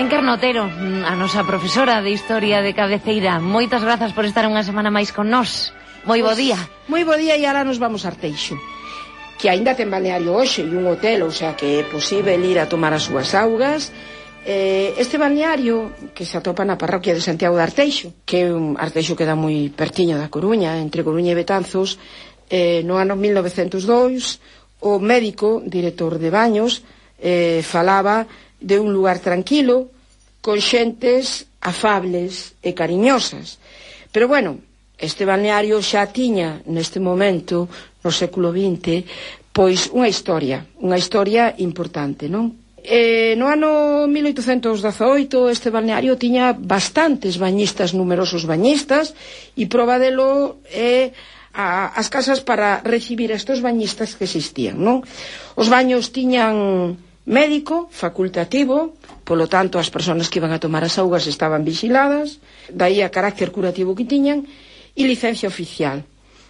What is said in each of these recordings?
Encarna Otero, a nosa profesora de Historia de cabeceira. Moitas grazas por estar unha semana máis con nós. Moi bo día. Moi bo día, e ahora nos vamos a Arteixo, que aínda ten balneario hoxe e un hotel, o sea que é posible ir a tomar as súas augas. Este balneario, que se atopa na parroquia de Santiago de Arteixo, que é un Arteixo que dá moi pertiño da Coruña, entre Coruña e Betanzos, no ano 1902, o médico, director de baños, falaba de un lugar tranquilo, con xentes afables e cariñosas. Pero bueno, este balneario xa tiña neste momento, no século XX, pois unha historia importante, non? No ano 1818 este balneario tiña bastantes bañistas, numerosos bañistas, e proba delo é as casas para recibir estes bañistas que existían, non? Os baños tiñan médico, facultativo, polo tanto as persoas que iban a tomar as augas estaban vigiladas, daí a carácter curativo que tiñan, e licencia oficial.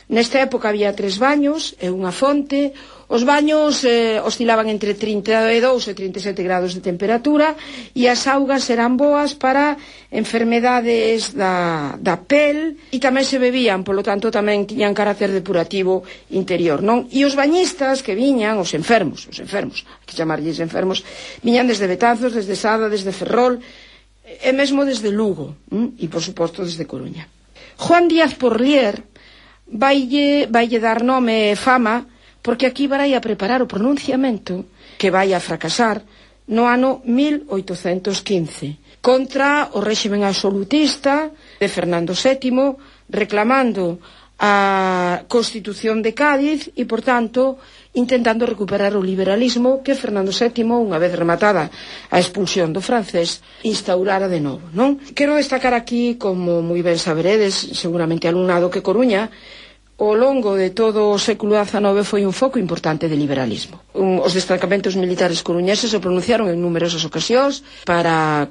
Nesta época había 3 baños e unha fonte. Os baños oscilaban entre 32 e 37 grados de temperatura, e as augas eran boas para enfermedades da pel, e tamén se bebían, polo tanto tamén tiñan carácter depurativo interior, non? E os bañistas que viñan, os enfermos, hai que chamarlles enfermos, viñan desde Betanzos, desde Sada, desde Ferrol, e mesmo desde Lugo, e por suposto desde Coruña. Juan Díaz Porlier vaille dar nome e fama, porque aquí vai a preparar o pronunciamento que vai a fracasar no ano 1815 contra o réximen absolutista de Fernando VII, reclamando a Constitución de Cádiz e, por tanto, intentando recuperar o liberalismo que Fernando VII, unha vez rematada a expulsión do francés, instaurara de novo, non? Quero destacar aquí, como moi ben saberedes, seguramente alumnado, que Coruña, ao longo de todo o século XIX, foi un foco importante de liberalismo. Os destacamentos militares coruñeses se pronunciaron en numerosas ocasións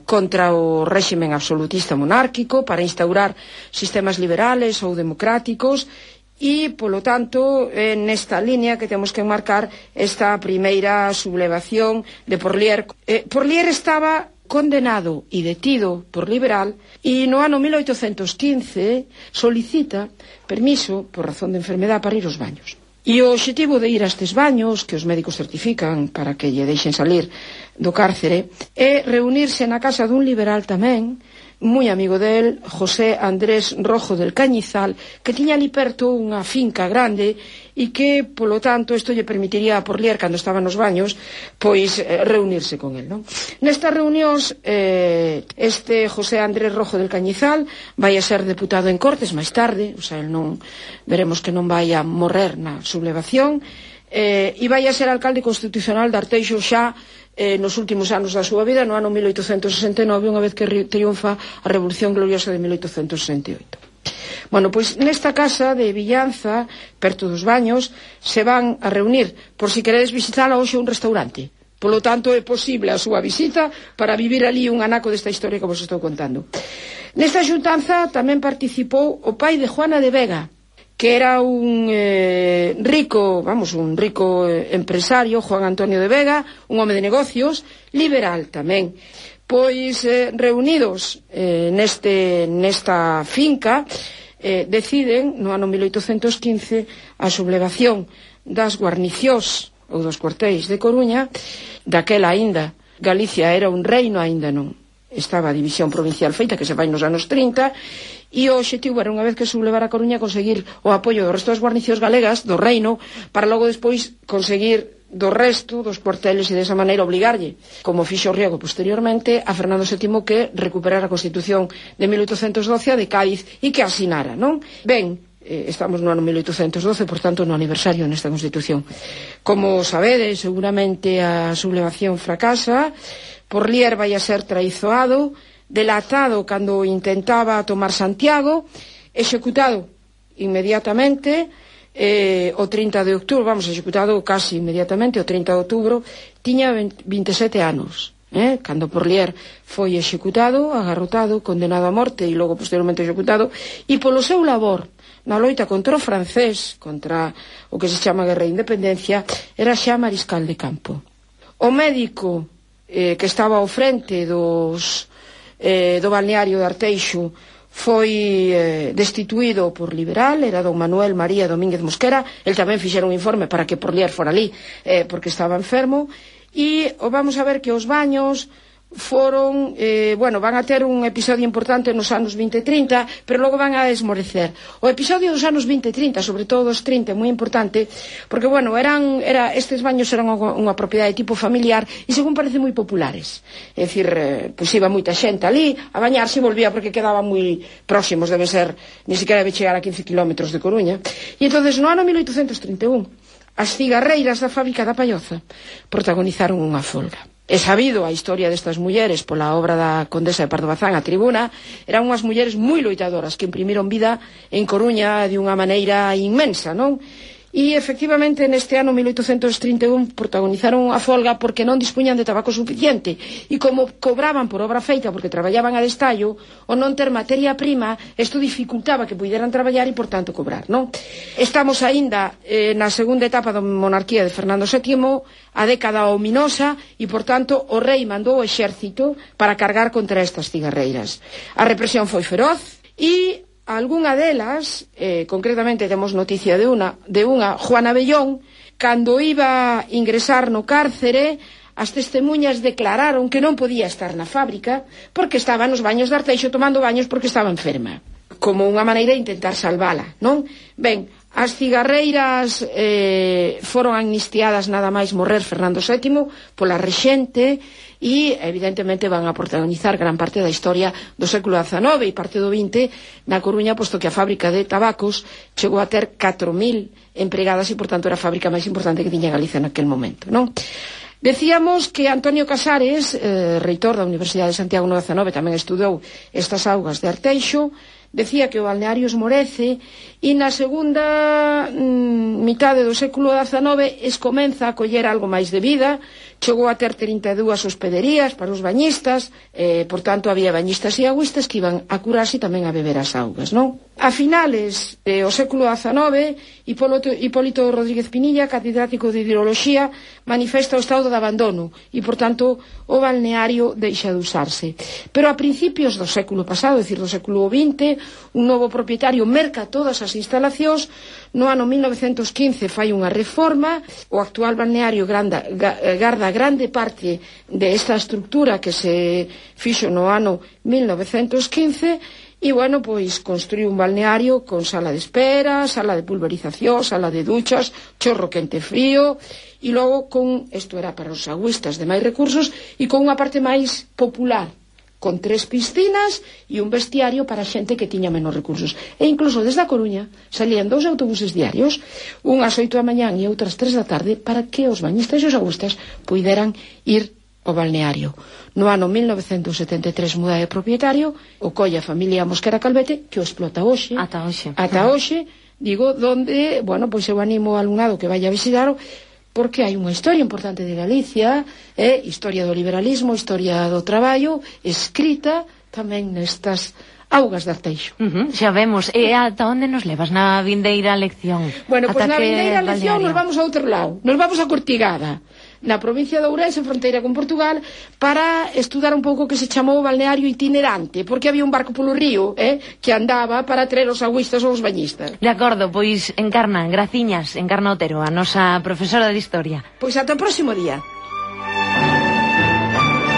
contra o réximen absolutista monárquico, para instaurar sistemas liberales ou democráticos, e, polo tanto, nesta línea que temos que enmarcar esta primeira sublevación de Porlier. Porlier estaba condenado e detido por liberal, e no ano 1815 solicita permiso por razón de enfermedad para ir aos baños. E o obxectivo de ir a estes baños, que os médicos certifican para que lle deixen salir do cárcere, é reunirse na casa dun liberal tamén, moi amigo del, José Andrés Rojo del Cañizal, que tiña ali perto unha finca grande, e que, polo tanto, isto lle permitiría a Porlier, cando estaba nos baños, pois reunirse con el, non? Nestas reunións, este José Andrés Rojo del Cañizal vai a ser deputado en Cortes máis tarde, o sea, el non, veremos que non vai a morrer na sublevación, e vai a ser alcalde constitucional de Arteixo xa nos últimos anos da súa vida, no ano 1869, unha vez que triunfa a Revolución Gloriosa de 1868. Bueno, pois nesta casa de Villanza, perto dos baños, se van a reunir, por si queredes visitala hoxe, un restaurante. Polo tanto, é posible a súa visita para vivir ali un anaco desta historia que vos estou contando. Nesta xuntanza tamén participou o pai de Juana de Vega, que era un rico empresario, Juan Antonio de Vega, un home de negocios, liberal tamén. Pois, reunidos nesta finca, deciden, no ano 1815, a sublevación das guarnicións ou dos cuartéis de Coruña. Daquela aínda Galicia era un reino, aínda non estaba a división provincial feita, que se vai nos anos 30, e o obxectivo era, unha vez que sublevar a Coruña, conseguir o apoio do resto das guarnicións galegas do reino, para logo despois conseguir do resto dos cuarteles, e desa maneira obligarlle, como fixo Riego posteriormente, a Fernando VII que recuperara a Constitución de 1812 de Cádiz e que asinara, non? Ben, estamos no ano 1812, por tanto no aniversario nesta Constitución. Como sabedes, seguramente a sublevación fracasa, Porlier vai a ser traizoado, delatado cando intentaba tomar Santiago, executado inmediatamente o 30 de outubro, executado casi inmediatamente, o 30 de outubro, tiña 27 anos. Cando Porlier foi executado, agarrotado, condenado a morte e logo posteriormente executado, e polo seu labor na loita contra o francés, contra o que se chama Guerra de Independencia, era xa mariscal de campo. O médico que estaba ao frente do balneario de Arteixo foi destituído por liberal, era don Manuel María Domínguez Mosquera. El tamén fixera un informe para que Porlier fora ali, porque estaba enfermo. E vamos a ver que os baños foron, van a ter un episodio importante nos anos 20 e 30, pero logo van a esmorecer. O episodio dos anos 20 e 30, sobre todo os 30, é moi importante, porque, estes baños eran unha propiedade tipo familiar e, según parece, moi populares. É dicir, pois iba moita xente ali a bañarse e volvía porque quedaban moi próximos, debe ser, ni siquiera debe chegar a 15 kilómetros de Coruña. E entonces, no ano 1831, as cigarreiras da fábrica da Palloza protagonizaron unha folga. É sabido a historia destas mulleres pola obra da Condesa de Pardo Bazán, A Tribuna. Eran unhas mulleres moi loitadoras que imprimiron vida en Coruña de unha maneira inmensa, non? E, efectivamente, neste ano 1831 protagonizaron a folga porque non dispuñan de tabaco suficiente e como cobraban por obra feita porque traballaban a destallo, o non ter materia prima, isto dificultaba que puderan traballar e, por tanto, cobrar, non? Estamos aínda na segunda etapa da monarquía de Fernando VII, a década ominosa, e, por tanto, o rei mandou o exército para cargar contra estas cigarreiras. A represión foi feroz e algunha delas, concretamente temos noticia de unha, Juana Bellón, cando iba a ingresar no cárcere, as testemunhas declararon que non podía estar na fábrica porque estaba nos baños de Arteixo tomando baños porque estaba enferma, como unha maneira de intentar salvala, non? Ben, as cigarreiras foron amnistiadas nada máis morrer Fernando VII pola rexente e, evidentemente, van a protagonizar gran parte da historia do século XIX e parte do XX na Coruña, posto que a fábrica de tabacos chegou a ter 4.000 empregadas e, por tanto, era a fábrica máis importante que tiña Galicia naquel momento, non? Decíamos que Antonio Casares, reitor da Universidade de Santiago no XIX, tamén estudou estas augas de Arteixo. Decía que o balneario esmorece e na segunda mitade do século XIX comeza a coller algo máis de vida. Chegou a ter 32 hospederías para os bañistas, por tanto había bañistas e agüistas que iban a curarse e tamén a beber as augas, non? A finales do século XIX, Hipólito Rodríguez Pinilla, catedrático de hidroloxía, manifesta o estado de abandono e, por tanto, o balneario deixa de usarse. Pero a principios do século pasado, é dicir, do século XX, un novo propietario merca todas as instalacións. No ano 1915 fai unha reforma, o actual balneario garda grande parte desta estructura que se fixo no ano 1915 e, pois construiu un balneario con sala de espera, sala de pulverización, sala de duchas, chorro quente frío e logo isto era para os agüistas de máis recursos e con unha parte máis popular, con 3 piscinas e un vestiario para xente que tiña menos recursos. E incluso desde a Coruña salían 2 autobuses diarios, unhas 8 da mañán e outras 3 da tarde, para que os bañistas e os agüistas puideran ir ao balneario. No ano 1973 muda de propietario, o colla a familia Mosquera Calvete, que o explota hoxe. Ata hoxe, digo, donde, pois eu animo ao alumnado que vaya a visitaro, porque hai unha historia importante de Galicia, historia do liberalismo, historia do traballo, escrita tamén nestas augas de Arteixo. Xa vemos. E ata onde nos levas na vindeira lección? Pois na vindeira lección nos vamos a outro lado, nos vamos a Cortigada, na provincia de Ourense, fronteira con Portugal, para estudar un pouco que se chamou balneario itinerante, porque había un barco polo río que andaba para traer os agüistas ou os bañistas. De acordo, pois Encarna Otero, a nosa profesora de Historia. Pois ata o próximo día.